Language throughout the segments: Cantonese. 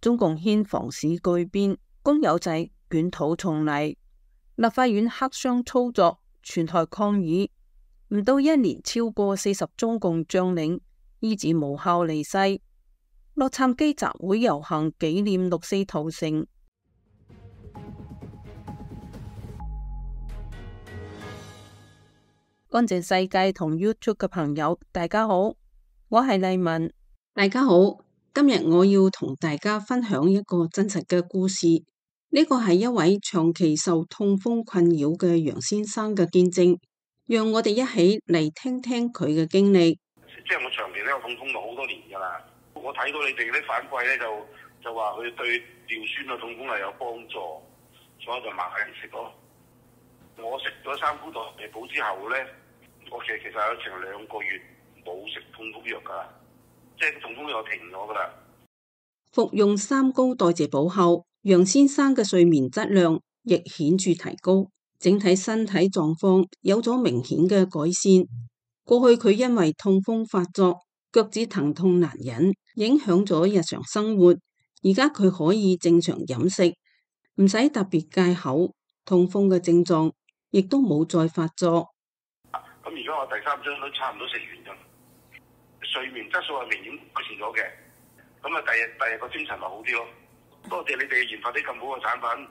中共掀房市巨變，公有制捲土重嚟，立法院黑箱操作，全台抗議，唔到1年，超過40中共將領依止無效離世。洛杉磯集會遊行紀念6·4屠城。乾淨世界同 YouTube 嘅朋友，大家好，我係麗文。大家好，今日我要同大家分享一個真實嘅故事。呢個係一位長期受痛風困擾嘅楊先生嘅見證，讓我哋一起嚟聽聽佢嘅經歷。即係我長期都有痛風咗好多年㗎啦。我睇到你哋啲反饋咧，就話佢對尿酸嘅痛風係有幫助，所以就買嚟食咯。我食咗3菇代謝補之後咧，我其實有成2個月冇食痛風藥㗎啦，即係痛風藥停咗㗎啦。服用3菇代謝補後，楊先生嘅睡眠質量亦顯著提高，整體身體狀況有咗明顯嘅改善。過去佢因為痛風發作，腳趾疼痛難忍，影響咗日常生活。而家佢可以正常飲食，唔使特別戒口，痛風嘅症狀亦都冇再發作。咁而家我第3針都差唔多食完咗，睡眠質素係明顯改善咗嘅。咁啊，第日個精神咪好啲咯。多謝你哋研發啲咁好嘅產品。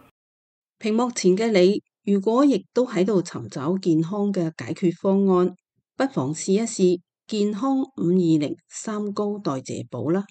屏幕前嘅你，如果亦都喺度尋找健康嘅解決方案，不妨試一試健康520 3菇代謝補啦。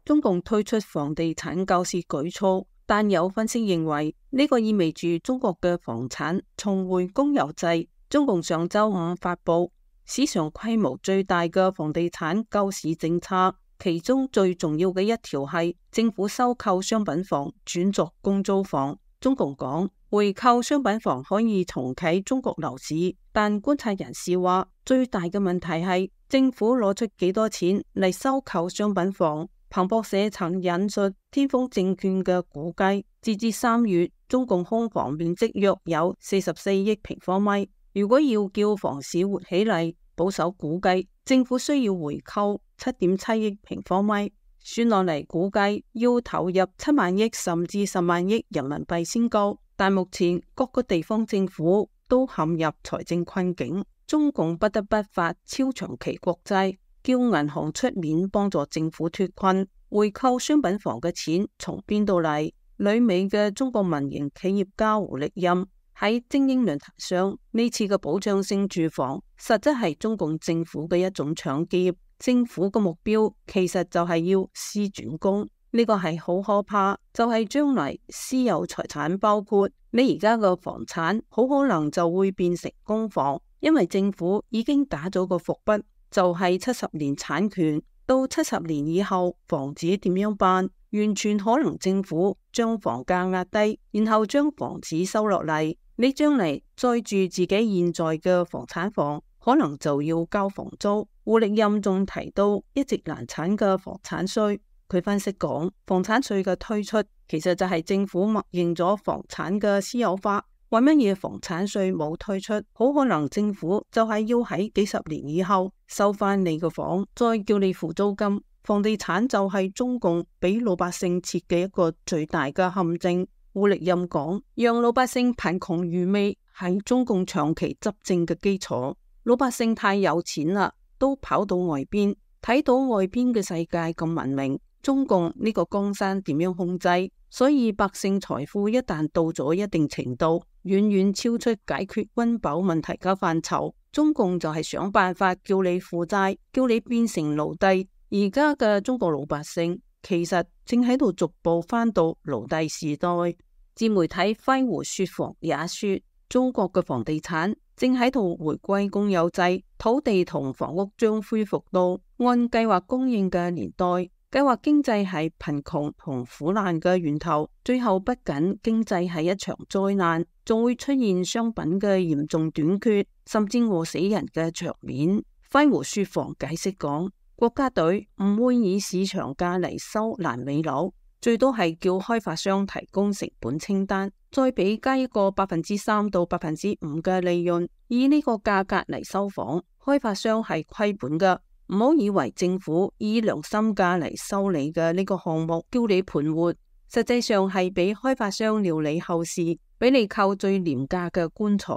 中共推出房地產救市舉措，但有分析認為呢個意味住中國嘅房產重回公有制。中共上周5發佈史上規模最大嘅房地產救市政策，其中最重要嘅一條係政府收購商品房轉作公租房。中共講回購商品房可以重啟中國樓市，但觀察人士話最大嘅問題係政府攞出幾多錢嚟收購商品房。彭博社曾引述天風證券嘅估計，截至3月，中共空房面積約有44億平方米。如果要叫房市活起嚟，保守估計政府需要回購7.7億平方米，算落嚟估計要投入7萬億甚至10萬億人民幣先夠。但目前各個地方政府都陷入財政困境，中共不得不發超長期國債，叫銀行出面幫助政府脫困。回購商品房嘅錢從邊度嚟？旅美嘅中國民營企業家胡力任喺精英論壇上，呢次嘅保障性住房實質係中共政府嘅一種搶劫。政府嘅目標其實就係要私轉公，呢個係好可怕，就係將來私有財產，包括你而家嘅房產，好可能就會變成公房，因為政府已經打咗個伏筆，就係70年產權，到70年以後房子點樣辦？完全可能政府將房價壓低，然後將房子收落嚟，你將嚟再住自己現在嘅房產房，可能就要交房租。胡力任仲提到一直難產嘅房產稅，佢分析講，房產稅嘅推出其實就係政府默認咗房產嘅私有化。為乜嘢房產稅冇推出？好可能政府就係要喺幾十年以後收翻你個房，再叫你付租金。房地產就係中共俾老百姓設嘅一個最大嘅陷阱。胡力任講，讓老百姓貧窮愚昧係中共長期執政嘅基礎。老百姓太有錢啦，都跑到外邊，睇到外邊嘅世界咁文明，中共呢個江山點樣控制？所以百姓財富一旦到咗一定程度，遠遠超出解決溫飽問題嘅範疇，中共就係想辦法叫你負債，叫你變成奴隸。而家嘅中國老百姓其實正喺度逐步返到奴隸時代。自媒體揮湖說房也說，中國嘅房地產正喺度回歸公有制，土地同房屋將恢復到按計劃供應嘅年代。計劃經濟係貧窮同苦難嘅源頭，最後不僅經濟係一場災難，仲會出現商品嘅嚴重短缺，甚至餓死人嘅場面。揮湖說房解釋講，國家隊唔會以市場價嚟收爛尾樓，最多係叫開發商提供成本清單，再俾加一個3%到5%嘅利潤，以呢個價格嚟收房。開發商係虧本嘅，唔好以為政府以良心價嚟收你嘅呢個項目叫你盤活，實際上係俾開發商料理後事，俾你扣最廉價嘅棺材，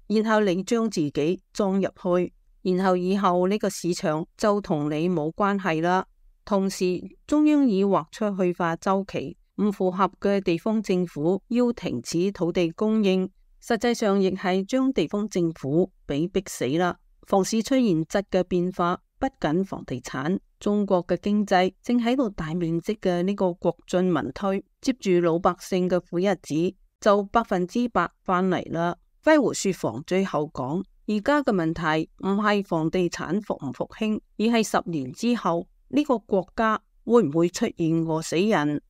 然後你將自己裝入去，然後以後呢個市場就同你冇關係啦。同時，中央已劃出去化周期，唔符合嘅地方政府要停止土地供應，實際上亦係將地方政府俾逼死啦。房市出現質嘅變化，不僅房地產，中國嘅經濟正喺度大面積嘅呢個國進民退，接住老百姓嘅苦日子就100%翻嚟啦。揮胡說房最後講，而家嘅問題唔係房地產復唔復興，而係10年之後呢個國家會唔會出現餓死人？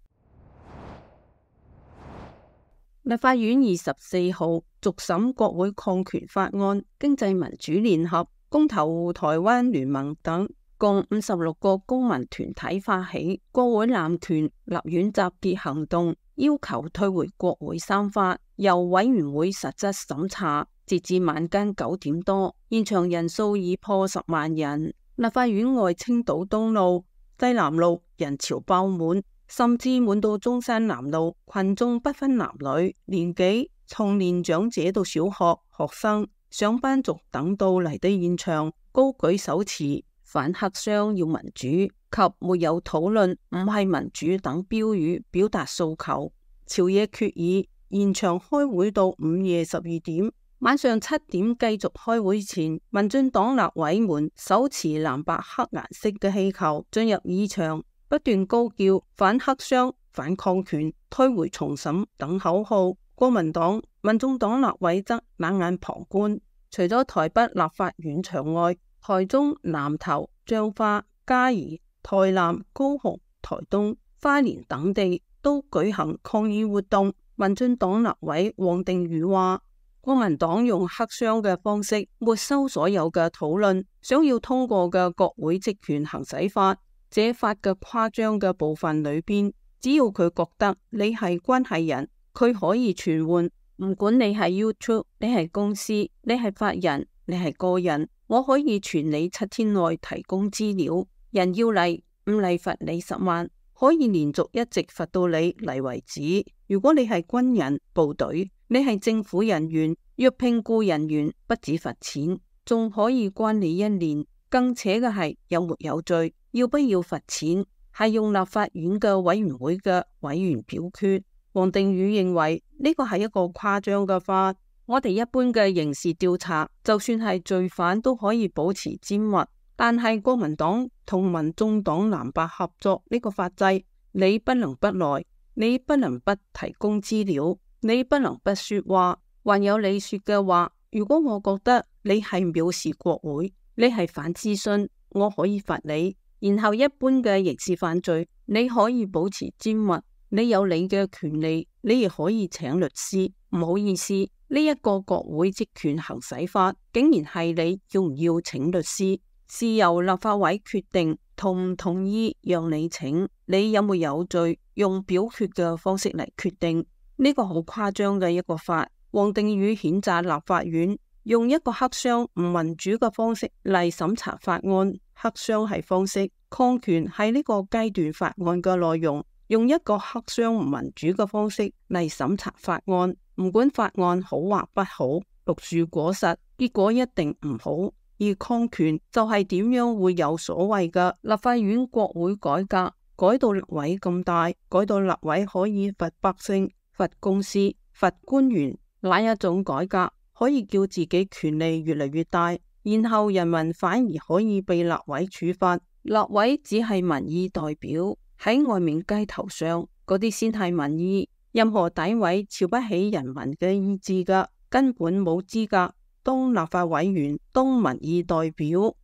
立法院24號續審國會抗權法案，經濟民主聯合、公投台灣聯盟等共56個公民團體發起國會濫權立院集結行動，要求退回國會三法，由委員會實質審查。截至晚間9點多，現場人數已破10萬人。立法院外青島東路、西南路人潮爆滿，甚至滿到中山南路，群眾不分男女年紀，從年長者到小學學生、上班族等到嚟到現場，高舉手持反黑箱要民主及沒有討論唔係民主等標語，表達訴求。朝野決議延長開會到午夜12點，晚上7點繼續開會前，民進黨立委們手持藍白黑顏色嘅氣球進入議場，不斷高叫反黑箱、反抗權、退回重審等口號。國民黨、民眾黨立委則冷眼旁觀。除咗台北立法院場外，台中、南投、彰化、嘉義、台南、高雄、台東、花蓮等地都舉行抗議活動。民進黨立委王定宇話，國民黨用黑箱嘅方式沒收所有嘅討論，想要通過嘅國會職權行使法，這法嘅誇張嘅部分裏邊，只要佢覺得你係關係人，佢可以傳喚，唔管你係 YouTube， 你係公司，你係法人，你係個人，我可以傳你7天內提供資料。人要嚟，唔嚟罰你10萬，可以連續一直罰到你嚟為止。如果你係軍人、部隊，你係政府人員，若聘僱人員，不止罰錢，仲可以關你1年。更扯嘅係有沒有罪，要不要罰錢，係用立法院嘅委員會嘅委員表決。王定宇認為呢個係一個誇張嘅法。我哋一般嘅刑事調查，就算係罪犯都可以保持緘默，但係國民黨同民眾黨藍白合作呢個法制，你不能不來，你不能不提供資料，你不能不說話。還有你說嘅話，如果我覺得你係藐視國會，你係反諮詢，我可以罰你。然後一般嘅刑事犯罪，你可以保持緘默，你有你嘅權利，你亦可以請律師。唔好意思，呢一個國會職權行使法，竟然係你要唔要請律師，是由立法委決定同唔同意讓你請，你有沒有罪，用表決嘅方式嚟決定。呢個好誇張嘅一個法。王定宇譴責立法院用一個黑箱唔民主嘅方式嚟審查法案，黑箱係方式，抗權係呢個階段法案嘅內容，用一個黑箱唔民主嘅方式嚟審查法案，唔管法案好或不好，綠樹果實，結果一定唔好。而抗權就係點樣會有所謂嘅立法院國會改革，改到立委咁大，改到立委可以罰百姓、罰公司、罰官員。哪一種改革可以叫自己權力越嚟越大，然後人民反而可以被立委處罰？立委只係民意代表，喺外面街頭上嗰啲先係民意，任何詆毀瞧不起人民嘅意志嘅，根本冇資格當立法委員，當民意代表。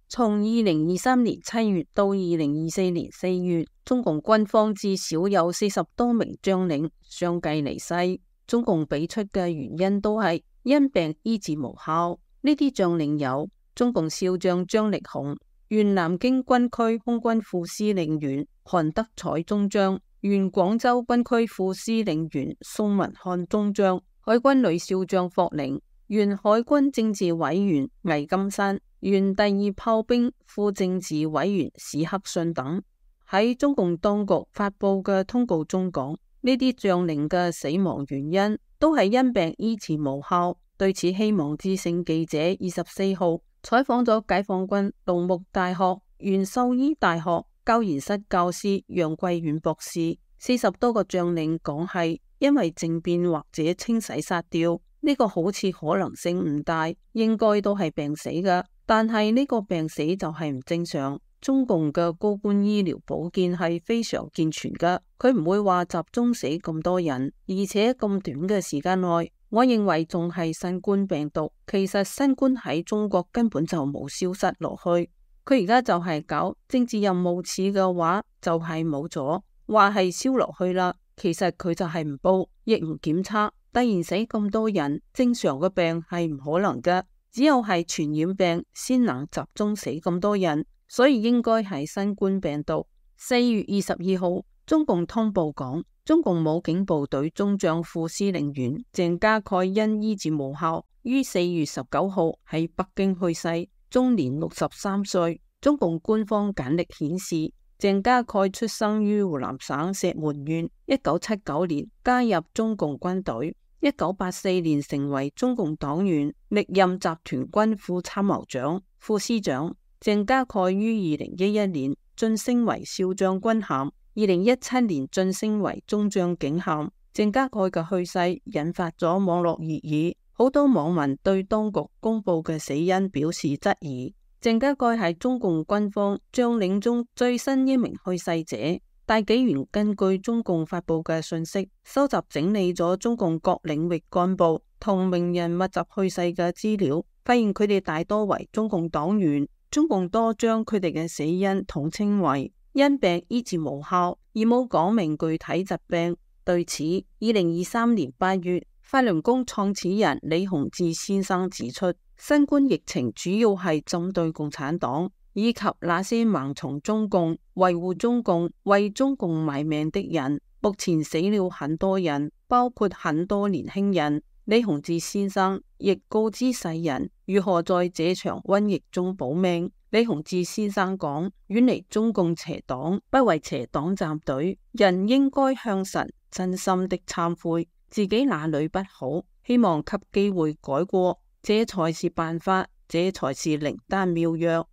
從2023年7月到2024年4月，中共軍方至少有40多名將領相繼離世。中共俾出嘅原因都係因病醫治無效。呢啲將領有中共少將張力雄、原南京軍區空軍副司令員韓德采中將、原廣州軍區副司令員宋文漢中將、海軍女少將霍寧、原海軍政治委員魏金山、原第2炮兵副政治委員史克信等。喺中共當局發佈嘅通告中講，呢啲將領嘅死亡原因都係因病醫治無效。對此，希望之聲記者24號採訪咗解放軍農牧大學原獸醫大學教研室教師楊桂遠博士，40多個將領講係因為政變或者清洗殺掉，呢個好似可能性唔大，應該都係病死㗎。但係呢個病死就係唔正常。中共嘅高官醫療保健係非常健全㗎，佢唔會話集中死咁多人，而且咁短嘅時間內，我認為仲係新冠病毒。其實新冠喺中國根本就冇消失落去，佢而家就係搞政治任務似嘅話，就係冇咗，話係燒落去啦。其實佢就係唔報，亦唔檢測，突然死咁多人，正常嘅病係唔可能㗎，只有係傳染病先能集中死咁多人。所以應該係新冠病毒。4月22號，中共通報講，中共武警部隊中將副司令員鄭家蓋因醫治無效，於4月19號喺北京去世，終年63歲。中共官方簡歷顯示，鄭家蓋出生於湖南省石門縣，1979年加入中共軍隊，1984年成為中共黨員，歷任集團軍副參謀長、副師長。鄭家蓋於2011年晉升為少將軍銜，2017年晉升為中將警銜。鄭家蓋嘅去世引發咗網絡熱議，好多網民對當局公布嘅死因表示質疑。鄭家蓋係中共軍方將領中最新一名去世者。大紀元根據中共發布嘅信息，收集整理咗中共各領域幹部同名人密集去世嘅資料，發現佢哋大多為中共黨員。中共多將佢哋嘅死因統稱為因病醫治無效，而冇講明具體疾病。對此，2023年8月，法輪功創始人李洪志先生指出，新冠疫情主要係針對共產黨以及那些盲從中共、維護中共、為中共賣命的人。目前死了很多人，包括很多年輕人。李洪志先生亦告知世人如何在這場瘟疫中保命。李洪志先生講：遠離中共邪黨，不為邪黨站隊，人應該向神真心的懺悔自己哪裏不好，希望給機會改過，這才是辦法，這才是靈丹妙藥。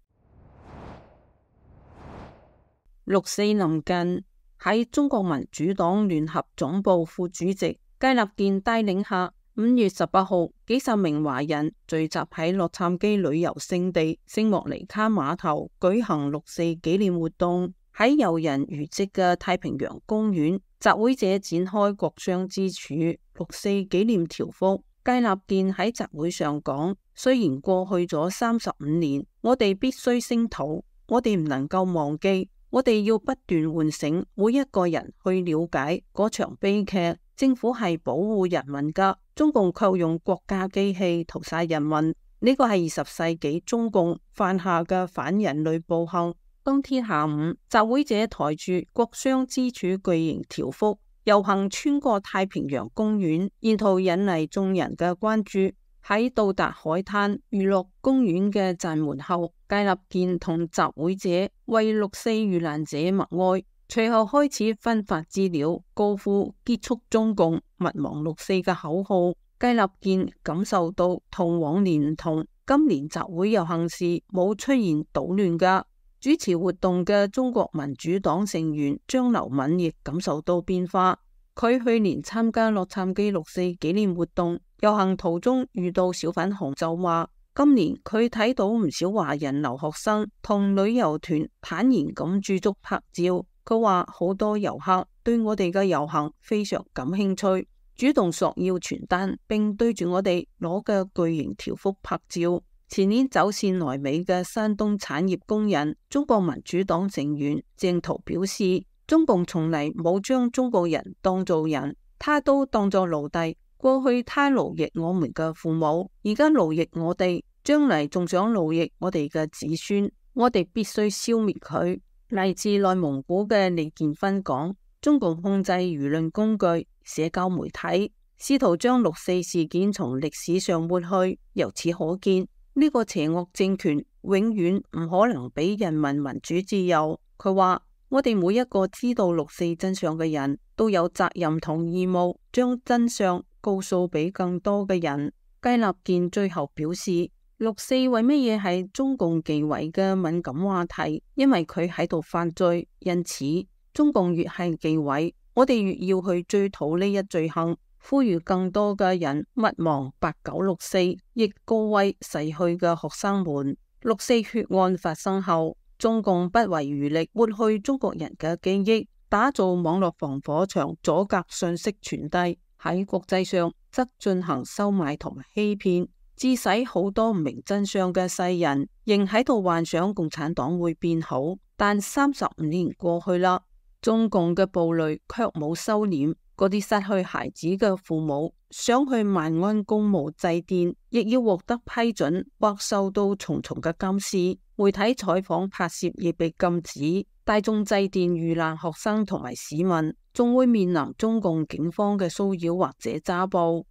6四臨近，喺中國民主黨聯合總部副主席佳立健帶領下，5月18號，幾十名華人聚集喺洛杉磯旅遊勝地聖莫尼卡碼頭舉行6四紀念活動。喺遊人如織嘅太平洋公園，集會者展開國殤之柱6四紀念條幅。佳立健喺集會上講：雖然過去咗35年，我哋必須聲討，我哋唔能夠忘記，我哋要不斷喚醒每一個人去了解嗰場悲劇。政府係保護人民噶，中共卻用國家機器屠殺人民，呢個係20世紀中共犯下嘅反人類暴行。當天下午，集會者抬住國殤之柱巨型條幅遊行穿過太平洋公園，沿途引嚟眾人嘅關注。喺到達海灘娛樂公園嘅站門後，佳立健同集會者為6四遇難者默哀。隨後開始分發資料，高呼結束中共、勿忘6四嘅口號。佳立健感受到同往年唔同，今年集會遊行時冇出現搗亂噶。主持活動嘅中國民主黨成員張劉敏亦感受到變化。佢去年參加洛杉磯6四紀念活動，遊行途中遇到小粉紅，就話今年佢睇到唔少華人留學生同旅遊團坦然咁駐足拍照。佢話好多遊客對我哋嘅遊行非常感興趣，主動索要傳單，並對住我哋攞嘅巨型條幅拍照。前年走線來美嘅山東產業工人、中國民主黨成員鄭濤表示，中共從嚟冇將中國人當做人，他都當作奴隸。過去他奴役我們嘅父母，而家奴役我哋，將嚟仲想奴役我哋嘅子孫，我哋必須消滅佢。嚟自內蒙古嘅李建芬講：中共控制輿論工具、社交媒體、試圖將六四事件從歷史上抹去。由此可見，呢個邪惡政權永遠唔可能俾人民民主自由。佢話：我哋每一個知道六四真相嘅人都有責任同義務，將真相告訴俾更多嘅人。雞立健最後表示，六四為乜嘢係中共忌諱嘅敏感話題？因為佢喺度犯罪，因此中共越係忌諱，我哋越要去追討呢一罪行。呼籲更多嘅人勿忘8964，亦告慰逝去嘅學生們。六四血案發生後，中共不遺餘力抹去中國人嘅記憶，打造網絡防火牆，阻隔信息傳遞。喺國際上則進行收買同埋欺騙，致使好多唔明真相嘅世人仍喺度幻想共產黨會變好。但35年過去啦，中共嘅暴戾卻冇收斂。嗰啲失去孩子嘅父母想去萬安公墓祭奠，亦要獲得批准或受到重重嘅監視。媒體採訪拍攝亦被禁止。大眾祭奠遇難學生同埋市民，仲會面臨中共警方嘅騷擾或者抓捕。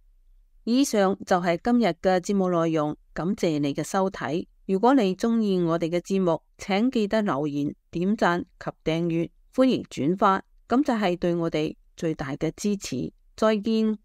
以上就係今日嘅節目內容，感謝你嘅收睇。如果你中意我哋嘅節目，請記得留言、點讚及訂閱，歡迎轉發，咁就係對我哋最大嘅支持。再見。